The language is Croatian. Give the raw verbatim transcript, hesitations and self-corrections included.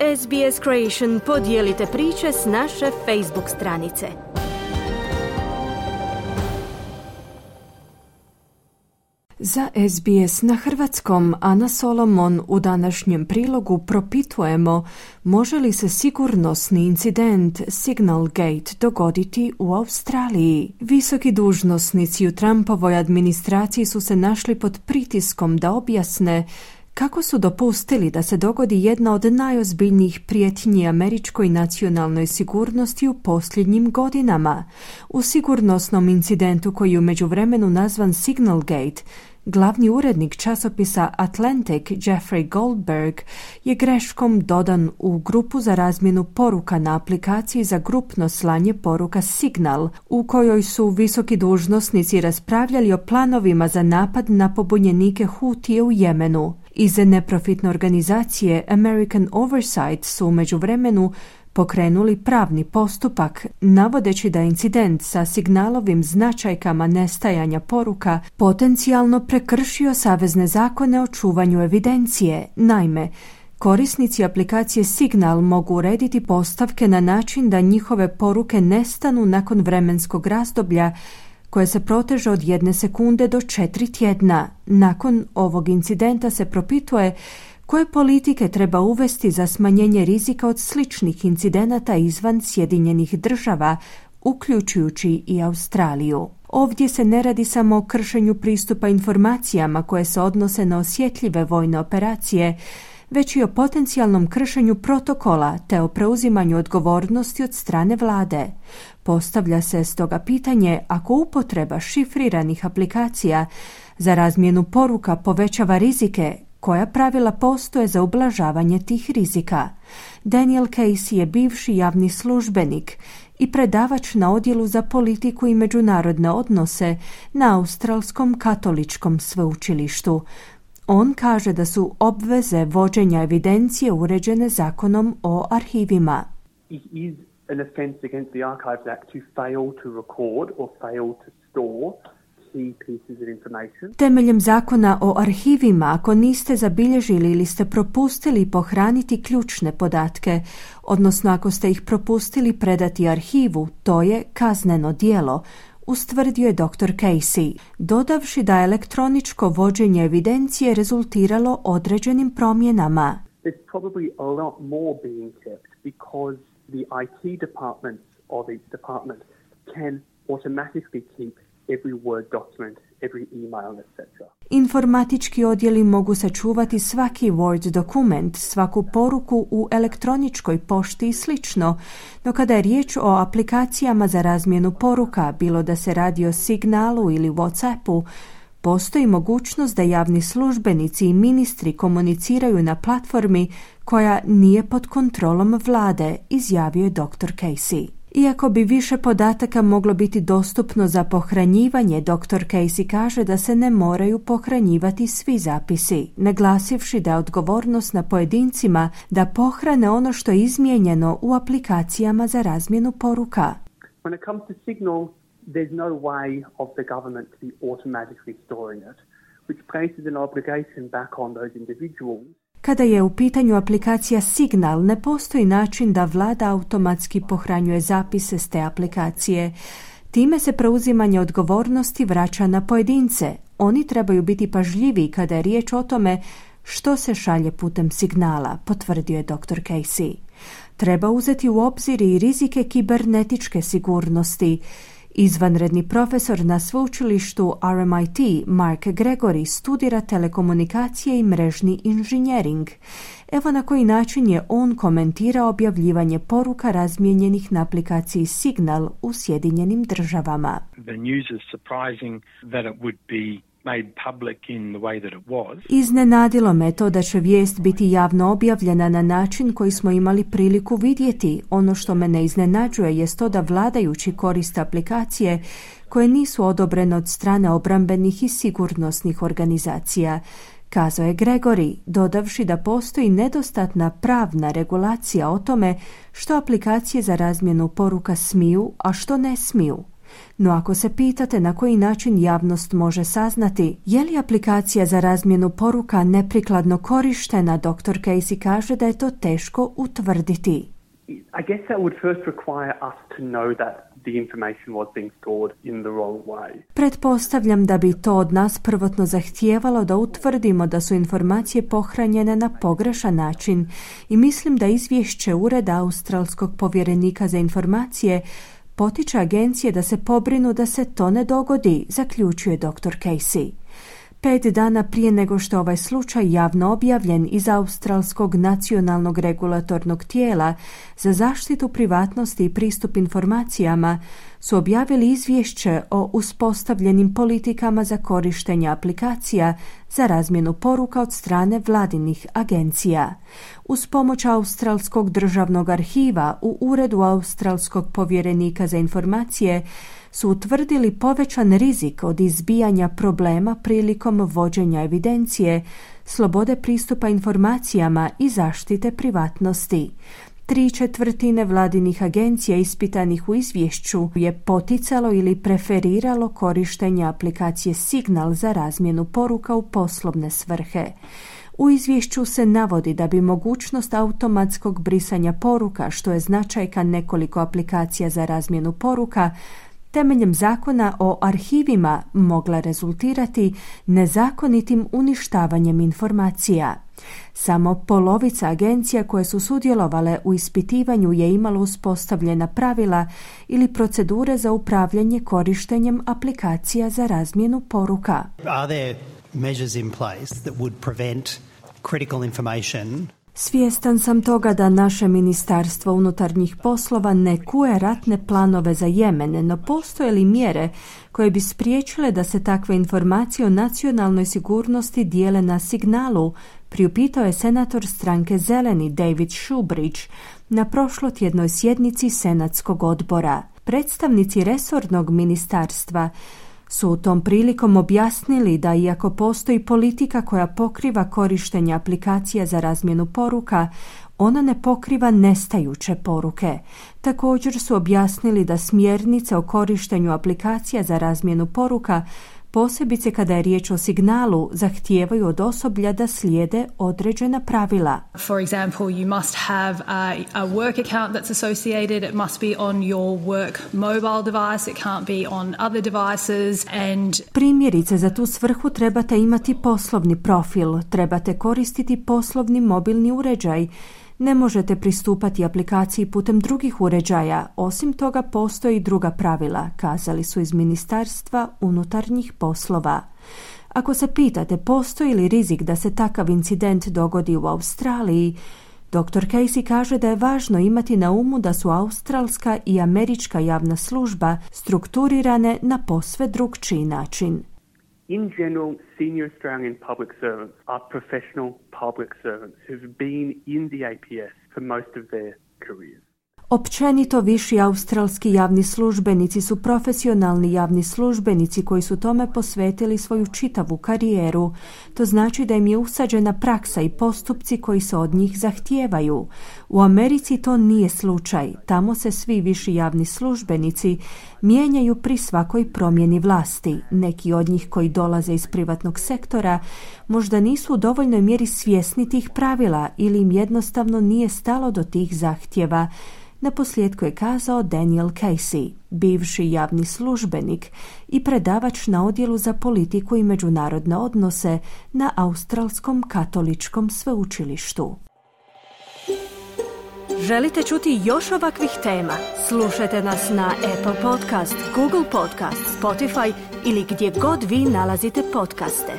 S B S Creation podijelite priče s naše Facebook stranice. Za S B S na hrvatskom Ana Solomon u današnjem prilogu propitujemo može li se sigurnosni incident Signal Gate dogoditi u Australiji. Visoki dužnosnici u Trumpovoj administraciji su se našli pod pritiskom da objasne kako su dopustili da se dogodi jedna od najozbiljnijih prijetnji američkoj nacionalnoj sigurnosti u posljednjim godinama. U sigurnosnom incidentu koji je u međuvremenu nazvan Signal Gate, glavni urednik časopisa Atlantic Jeffrey Goldberg je greškom dodan u grupu za razmjenu poruka na aplikaciji za grupno slanje poruka Signal, u kojoj su visoki dužnosnici raspravljali o planovima za napad na pobunjenike Hutije u Jemenu. Iz neprofitne organizacije American Oversight su u međuvremenu pokrenuli pravni postupak, navodeći da incident sa signalovim značajkama nestajanja poruka potencijalno prekršio savezne zakone o čuvanju evidencije. Naime, korisnici aplikacije Signal mogu urediti postavke na način da njihove poruke nestanu nakon vremenskog razdoblja koje se proteže od jedne sekunde do četiri tjedna. Nakon ovog incidenta se propituje koje politike treba uvesti za smanjenje rizika od sličnih incidenata izvan Sjedinjenih država, uključujući i Australiju. Ovdje se ne radi samo o kršenju pristupa informacijama koje se odnose na osjetljive vojne operacije, već i o potencijalnom kršenju protokola te o preuzimanju odgovornosti od strane vlade. Postavlja se stoga pitanje ako upotreba šifriranih aplikacija za razmjenu poruka povećava rizike, koja pravila postoje za ublažavanje tih rizika. Daniel Casey je bivši javni službenik i predavač na odjelu za politiku i međunarodne odnose na Australskom katoličkom sveučilištu. On kaže da su obveze vođenja evidencije uređene zakonom o arhivima. It is an offence against the Archives Act to fail to record or fail to store Temeljem zakona o arhivima, ako niste zabilježili ili ste propustili pohraniti ključne podatke, odnosno ako ste ih propustili predati arhivu, to je kazneno djelo, ustvrdio je doktor Casey, dodavši da je elektroničko vođenje evidencije rezultiralo određenim promjenama. There's probably a lot more being kept because the I T departments of each department can automatically keep every Word document, every email, et cetera. Informatički odjeli mogu sačuvati svaki Word dokument, svaku poruku u elektroničkoj pošti i slično, no kada je riječ o aplikacijama za razmjenu poruka, bilo da se radi o Signalu ili WhatsAppu, postoji mogućnost da javni službenici i ministri komuniciraju na platformi koja nije pod kontrolom vlade, izjavio je doktor Casey. Iako bi više podataka moglo biti dostupno za pohranjivanje, doktor Casey kaže da se ne moraju pohranjivati svi zapisi, naglasivši da je odgovornost na pojedincima da pohrane ono što je izmijenjeno u aplikacijama za razmjenu poruka. When it comes to Signal, there's no way of the government to be automatically storing it, which places an obligation back on those individuals. Kada je u pitanju aplikacija Signal, ne postoji način da vlada automatski pohranjuje zapise s te aplikacije. Time se preuzimanje odgovornosti vraća na pojedince. Oni trebaju biti pažljiviji kada je riječ o tome što se šalje putem signala, potvrdio je doktor Casey. Treba uzeti u obzir i rizike kibernetičke sigurnosti. Izvanredni profesor na sveučilištu R M I T Mark Gregory studira telekomunikacije i mrežni inženjering. Evo na koji način je on komentirao objavljivanje poruka razmijenjenih na aplikaciji Signal u Sjedinjenim državama. The news is surprising that it would be made public in the way that it was. Iznenadilo me to da će vijest biti javno objavljena na način koji smo imali priliku vidjeti. Ono što me ne iznenađuje jest to da vladajući koriste aplikacije koje nisu odobrene od strane obrambenih i sigurnosnih organizacija, kazao je Gregory, dodavši da postoji nedostatna pravna regulacija o tome što aplikacije za razmjenu poruka smiju, a što ne smiju. No ako se pitate na koji način javnost može saznati je li aplikacija za razmjenu poruka neprikladno korištena, doktor Casey kaže da je to teško utvrditi. I guess that would first require us to know that the information was being stored in the wrong way. Pretpostavljam da bi to od nas prvotno zahtijevalo da utvrdimo da su informacije pohranjene na pogrešan način i mislim da izvješće Ureda australskog povjerenika za informacije potiče agencije da se pobrinu da se to ne dogodi, zaključuje doktor Casey. Pet dana prije nego što ovaj slučaj javno objavljen iz Australskog nacionalnog regulatornog tijela za zaštitu privatnosti i pristup informacijama su objavili izvješće o uspostavljenim politikama za korištenje aplikacija za razmjenu poruka od strane vladinih agencija. Uz pomoć Australskog državnog arhiva u Uredu Australskog povjerenika za informacije su utvrdili povećan rizik od izbijanja problema prilikom vođenja evidencije, slobode pristupa informacijama i zaštite privatnosti. Tri četvrtine vladinih agencija ispitanih u izvješću je poticalo ili preferiralo korištenje aplikacije Signal za razmjenu poruka u poslovne svrhe. U izvješću se navodi da bi mogućnost automatskog brisanja poruka, što je značajka nekoliko aplikacija za razmjenu poruka, temeljem zakona o arhivima mogla rezultirati nezakonitim uništavanjem informacija. Samo polovica agencija koje su sudjelovale u ispitivanju je imalo uspostavljena pravila ili procedure za upravljanje korištenjem aplikacija za razmjenu poruka. Are there measures in place that would prevent critical information? Svjestan sam toga da naše Ministarstvo unutarnjih poslova ne kuje ratne planove za Jemen, no postoje li mjere koje bi spriječile da se takve informacije o nacionalnoj sigurnosti dijele na Signalu, priupitao je senator stranke Zeleni David Shoebridge na prošlotjednoj sjednici Senatskog odbora. Predstavnici resornog ministarstva su u tom prilikom objasnili da iako postoji politika koja pokriva korištenje aplikacija za razmjenu poruka, ona ne pokriva nestajuće poruke. Također su objasnili da smjernice o korištenju aplikacija za razmjenu poruka, posebice kada je riječ o Signalu, zahtijevaju od osoblja da slijede određena pravila. For example, you must have a, a work account that's associated. It must be on your work mobile device. It can't be on other devices. And Primjerice, za tu svrhu trebate imati poslovni profil, trebate koristiti poslovni mobilni uređaj. Ne možete pristupati aplikaciji putem drugih uređaja, osim toga postoji druga pravila, kazali su iz Ministarstva unutarnjih poslova. Ako se pitate postoji li rizik da se takav incident dogodi u Australiji, doktor Casey kaže da je važno imati na umu da su australska i američka javna služba strukturirane na posve drukčiji način. In general, senior Australian public servants are professional public servants who've been in the A P S for most of their careers. Općenito viši australski javni službenici su profesionalni javni službenici koji su tome posvetili svoju čitavu karijeru. To znači da im je usađena praksa i postupci koji se od njih zahtijevaju. U Americi to nije slučaj. Tamo se svi viši javni službenici mijenjaju pri svakoj promjeni vlasti. Neki od njih koji dolaze iz privatnog sektora možda nisu u dovoljnoj mjeri svjesni tih pravila ili im jednostavno nije stalo do tih zahtjeva. Naposljetku je kazao Daniel Casey, bivši javni službenik i predavač na odjelu za politiku i međunarodne odnose na Australskom katoličkom sveučilištu. Želite čuti još ovakvih tema? Slušajte nas na Apple Podcast, Google Podcast, Spotify ili gdje god vi nalazite podcaste.